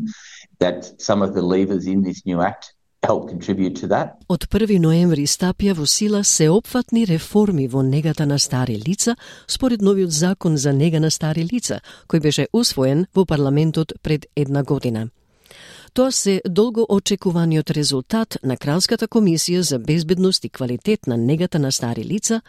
that some of the levers in this new act help contribute to that. Од 1 ноември стапија во сила сеопфатни реформи во негата на стари лица според новиот закон за нега на стари лица, кој беше усвоен во парламентот пред 1 година. Тоа се долго очекуваниот резултат на Кралската комисија за безбедност и квалитет на негата на стари лица,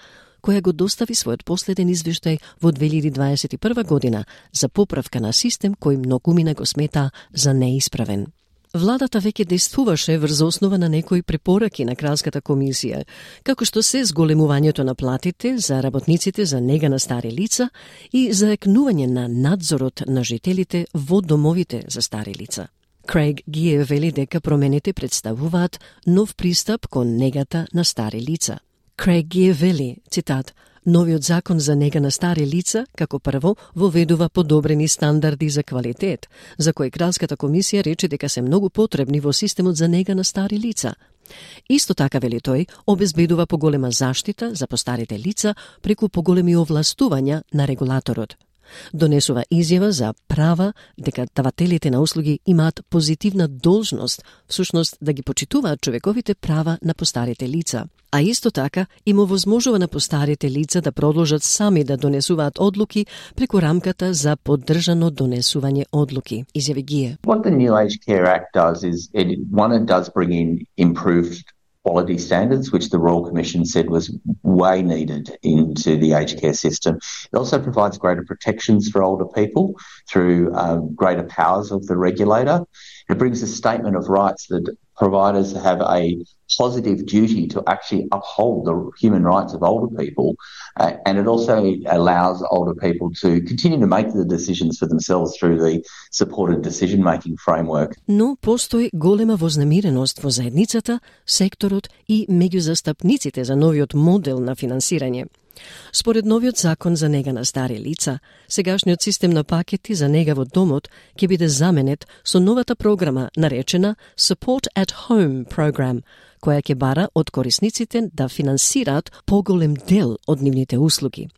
која го достави својот последен извештај во 2021 година за поправка на систем кој многумина го смета за неисправен. Владата веќе действуваше врз основа на некои препораки на Кралската комисија, како што се зголемувањето на платите за работниците за нега на стари лица и заекнување на надзорот на жителите во домовите за стари лица. Крейг Гиер вели дека промените представуваат нов пристап кон негата на стари лица. Крейг Гиер вели, цитат, новиот закон за нега на стари лица, како прво, воведува подобрени стандарди за квалитет, за кои Кралската комисија рече дека се многу потребни во системот за нега на стари лица. Исто така, вели тој, обезбедува поголема заштита за постарите лица преку поголеми овластувања на регулаторот. Донесува изјава за права дека давателите на услуги имаат позитивна должност, всушност да ги почитуваат човековите права на постарите лица. А исто така им овозможува на постарите лица да продолжат сами да донесуваат одлуки преку рамката за поддржано донесување одлуки. Изјави Гие. What the New Aged Care Act does is it does bring in improved quality standards, which the Royal Commission said was way needed into the aged care system. It also provides greater protections for older people through greater powers of the regulator. It brings a statement of rights that providers have a positive duty to actually uphold the human rights of older people, and it also allows older people to continue to make the decisions for themselves through the supported decision-making framework. Но постои голема вознемиреност во заедницата, секторот и меѓу застапниците за новиот модел на финансирање. Според новиот закон за нега на стари лица, сегашниот систем на пакети за нега во домот ќе биде заменет со новата програма наречена Support at Home Program, која ќе бара од корисниците да финансираат поголем дел од нивните услуги.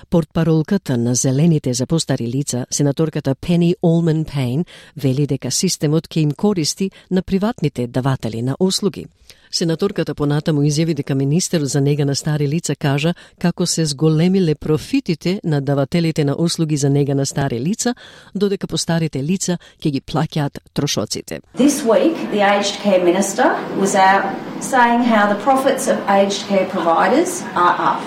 Портпаролката на Зелените за постари лица, сенаторката Penny Allman-Payne, вели дека системот ќе им користи на приватните даватели на услуги. Сенаторката понатаму изјави дека министерот за нега на стари лица кажа како се зголемиле профитите на давателите на услуги за нега на стари лица, додека постарите лица ќе ги плаќаат трошоците. This week, the aged care minister was out saying how the profits of aged care providers are up.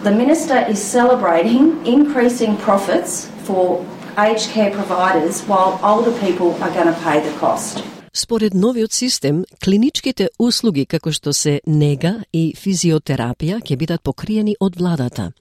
The minister is celebrating increasing profits for aged care providers while older people are going to pay the cost. Според новиот систем, клиничките услуги како што се нега и физиотерапија ќе бидат покриени од владата.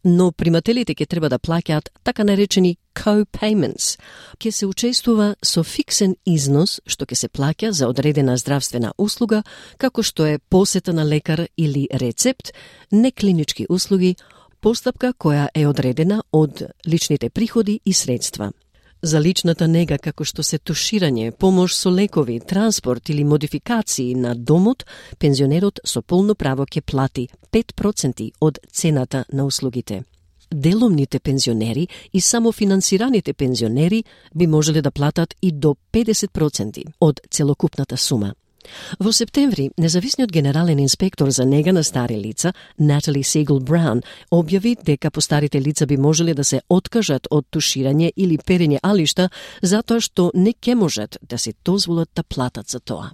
Но примателите ќе треба да плаќаат така наречени co-payments. Ќе се учествува со фиксен износ што ќе се плаќа за одредена здравствена услуга, како што е посета на лекар или рецепт, неклинички услуги, постапка која е одредена од личните приходи и средства. За личната нега, како што се туширање, помош со лекови, транспорт или модификации на домот, пензионерот со полно право ќе плати 5% од цената на услугите. Деломните пензионери и самофинансираните пензионери би можеле да платат и до 50% од целокупната сума. Во септември, независниот генерален инспектор за нега на стари лица, Натали Сигел Браун, објави дека постарите лица би можеле да се откажат од туширање или перење алишта затоа што не ќе можат да се дозволат да платат за тоа.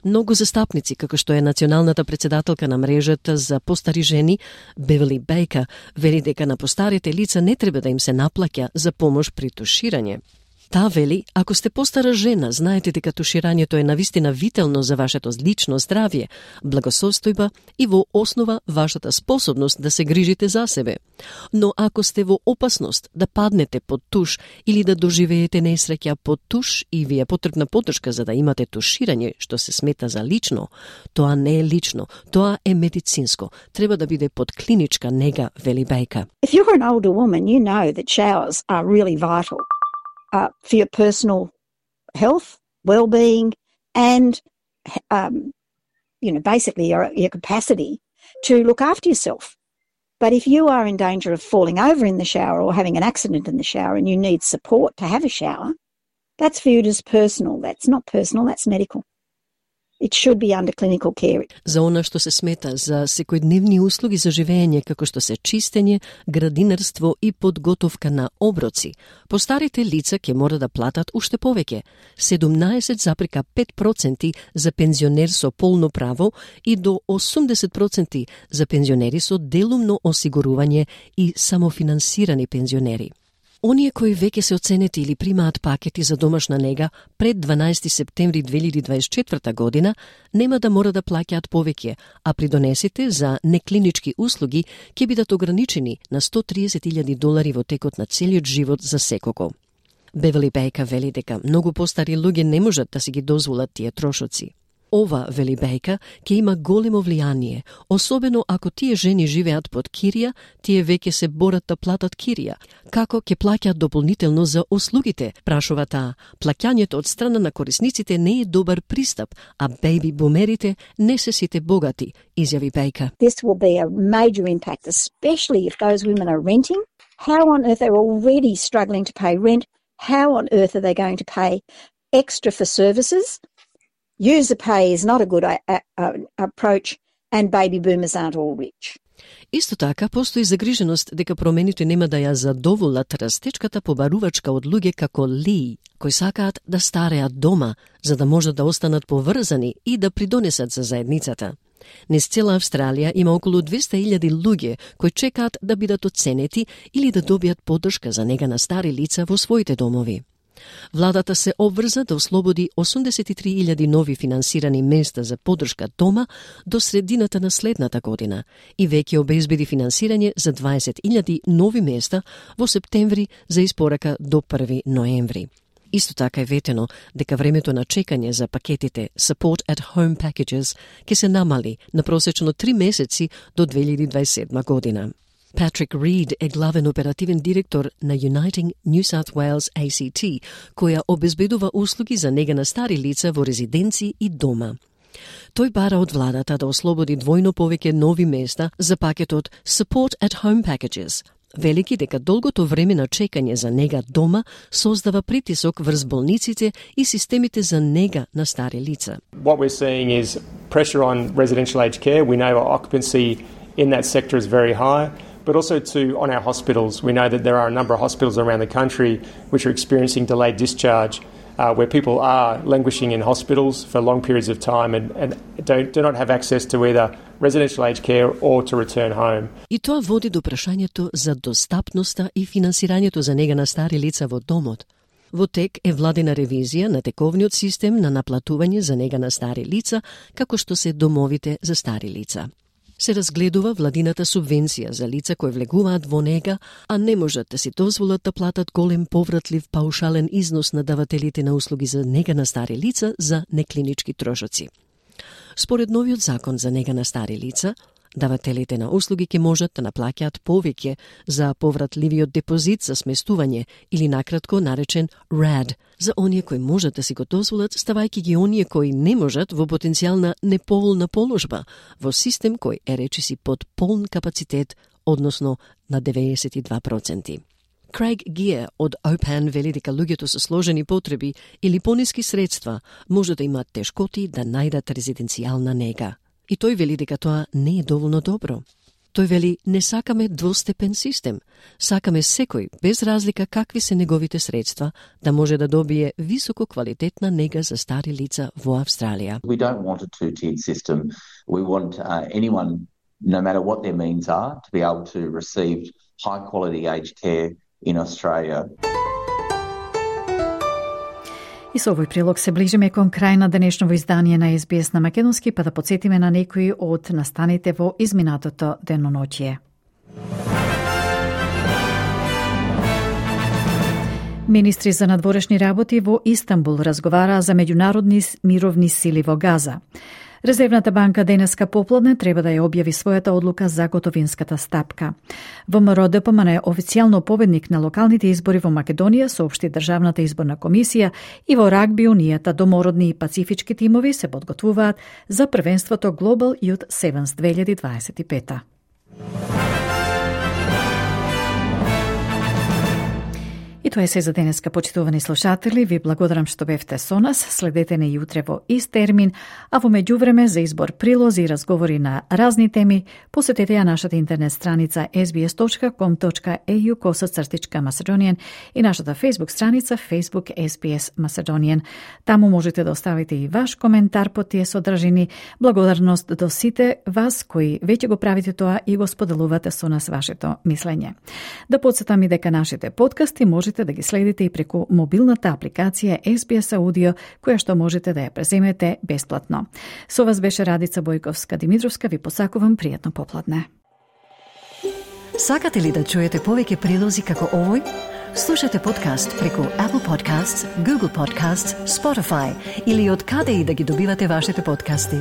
Многу застапници, како што е националната председателка на мрежата за постари жени, Бевели Бейка, вели дека на постарите лица не треба да им се наплаќа за помош при туширање. Та вели, ако сте постара жена, знаете дека туширањето е навистина вително за вашето лично здравје, благосостојба и во основа вашата способност да се грижите за себе. Но ако сте во опасност да паднете под туш или да доживеете несреќа под туш и ви е потребна поддршка за да имате туширање што се смета за лично, тоа не е лично, тоа е медицинско. Треба да биде под клиничка нега, вели Бейка. If you're an older woman, you know that showers are really vital. For your personal health, well-being, and basically your capacity to look after yourself. But if you are in danger of falling over in the shower or having an accident in the shower and you need support to have a shower, that's viewed as personal. That's not personal, that's medical. It should be under clinical care. За она што се смета за секојдневни услуги за живење, како што се чистење, градинарство и подготовка на оброци, постарите лица ќе мора да платат уште повеќе, 17,5% за пензионер со полно право и до 80% за пензионери со делумно осигурување и самофинансирани пензионери. Оние кои веќе се оценети или примаат пакети за домашна нега пред 12 септември 2024 година нема да мора да плаќаат повеќе, а придонесите за неклинички услуги ќе бидат ограничени на $130,000 во текот на целиот живот за секого. Бевели Бейка вели дека многу постари луѓе не можат да си ги дозволат тие трошоци. Ова, вели Бейка, ќе има големо влијание, особено ако тие жени живеат под кирија, тие веќе се борат да платат кирија. Како ќе плаќаат дополнително за услугите, прашува таа. Плаќањето од страна на корисниците не е добар пристап, а бејби бумерите не се сите богати, изјави Бейка. This will be a major impact, especially if those women are renting. How on earth they're already struggling to pay rent? How on earth are they going to pay extra for services? User pay is not a good approach, and baby boomers aren't all rich. Исто така, постои загриженост дека промените нема да ја задоволат растечката побарувачка од луѓе како Ли, кои сакаат да стареат дома, за да можат да останат поврзани и да придонесат за заедницата. Низ цела Австралија има околу 200,000 луѓе кои чекаат да бидат оценети или да добијат поддршка за нега на стари лица во своите домови. Владата се обврза да ослободи 83,000 нови финансирани места за поддршка дома до средината на следната година и веќе обезбеди финансирање за 20,000 нови места во септември за испорака до 1 ноември. Исто така е ветено дека времето на чекање за пакетите Support at Home Packages ќе се намали на просечно 3 месеци до 2027 година. Patrick Reed е главен оперативен директор на Uniting New South Wales ACT, која обезбедува услуги за нега на стари лица во резиденци и дома. Тој бара од владата да ослободи двојно повеќе нови места за пакетот Support at Home Packages, Велики дека долгото време на чекање за нега дома создава притисок врз болниците и системите за нега на стари лица. What we're seeing is pressure on residential aged care. We know our occupancy in that sector is very high, but also on our hospitals. We know that there are a number of hospitals around the country which are experiencing delayed discharge, where people are languishing in hospitals for long periods of time and do not have access to either residential aged care or to return home. И тоа води до прашањето за достапноста и финансирањето за нега на стари лица во домот. Во тек е владина ревизија на тековниот систем на наплатување за нега на стари лица, како што се домовите за стари лица. Се разгледува владината субвенција за лица кои влегуваат во нега, а не можат да си дозволат да платат голем повратлив паушален износ на давателите на услуги за нега на стари лица за неклинички трошоци. Според новиот закон за нега на стари лица, давателите на услуги ќе можат да наплаќаат повеќе за повратливиот депозит за сместување или накратко наречен RAD, за оние кои можат да си го дозволат, ставајќи ги оние кои не можат во потенцијална неповолна положба, во систем кој е речиси под полн капацитет, односно на 92%. Craig Gear од OPAN вели дека луѓето со сложени потреби или пониски средства може да имаат тешкоти да најдат резиденцијална нега. И тој вели дека тоа не е доволно добро. Тој вели, не сакаме двостепен систем. Сакаме секој, без разлика какви се неговите средства, да може да добие високо квалитетна нега за стари лица во Австралија. We don't want a two-tiered system. We want anyone, no matter what their means are, to be able to receive high-quality aged care in Australia. И со овој прилог се ближиме кон крај на денешново издание на SBS на македонски, па да подсетиме на некои од настаните во изминатото деноноќие. Министри за надворешни работи во Истанбул разговараа за меѓународни мировни сили во Газа. Резервната банка денеска попладне треба да ја објави својата одлука за готовинската стапка. ВМРО ДПМН е официјално победник на локалните избори во Македонија, соопшти Државната изборна комисија, и во рагби унијата домородни и пацифички тимови се подготвуваат за првенството Global Youth Sevens 2025. И тоа е се за денеска, почитувани слушатели. Ви благодарам што бевте со нас. Следете не јутре во ист термин, а во меѓувреме за избор прилози и разговори на разни теми, посетете ја нашата интернет страница sbs.com.au/Macedonian и нашата Facebook страница Facebook SBS Macedonian. Таму можете да оставите и ваш коментар по тие содржини. Благодарност до сите вас кои веќе го правите тоа и го споделувате со нас вашето мислење. Да подсетам и дека нашите подкасти можете да ги следите и преку мобилната апликација SBS Audio, која што можете да ја преземете бесплатно. Со вас беше Радица Бојковска-Димитровска. Ви посакувам пријатно попладне. Сакате ли да чуете повеќе прилози како овој? Слушате подкаст преку Apple Podcasts, Google Podcasts, Spotify или од каде и да ги добивате вашите подкасти.